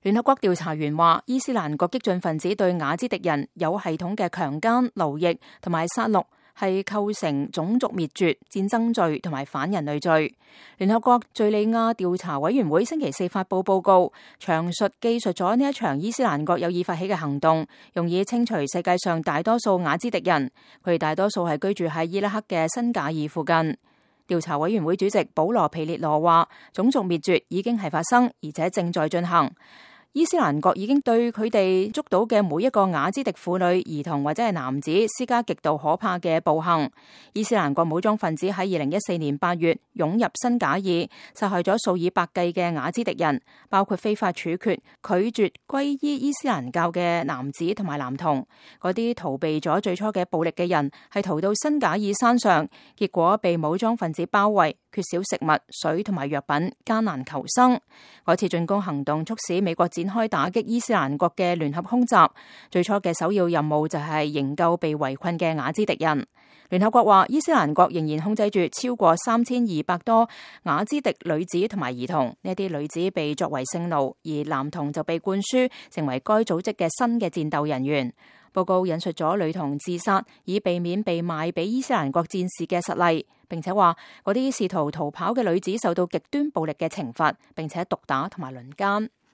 聯合國調查員話，伊斯蘭國激進分子對雅茲迪人有系統嘅強姦、奴役同埋殺戮，係構成種族滅絕、戰爭罪同埋反人類罪。聯合國敘利亞調查委員會星期四發佈報告，詳記述咗呢一場伊斯蘭國有意發起嘅行動，用以清除世界上大多數雅茲迪人。佢哋大多數係居住喺伊拉克嘅辛賈爾附近。調查委員會主席保羅皮列羅話，種族滅絕已經係發生，而且正在進行。伊斯蘭國已經對佢哋捉到嘅每一個雅茲迪婦女、兒童或者係男子施加極度可怕嘅暴行。伊斯蘭國武裝分子喺2014年8月湧入辛賈爾，殺害咗數以百計嘅雅茲迪人，包括非法處決、拒絕皈依伊斯蘭教嘅男子同埋男童。嗰啲逃避咗最初嘅暴力嘅人係逃到辛賈爾山上，結果被武裝分子包圍，缺少食物、水同埋藥品，艱難求生。嗰次進攻行動促使美國展開打擊伊斯蘭國嘅聯合空襲，最初嘅首要任務就係營救被圍困嘅雅茲迪人。聯合國話，伊斯蘭國仍然控制住超過3200多雅茲迪女子同埋兒童，呢啲女子被作為性奴，而男童就被灌輸成為該組織嘅新嘅戰鬥人員。報告引述咗女童自殺以避免被賣俾伊斯蘭國戰士嘅實例，並且話嗰啲試圖逃跑嘅女子受到極端暴力嘅懲罰，並且毒打同埋輪姦。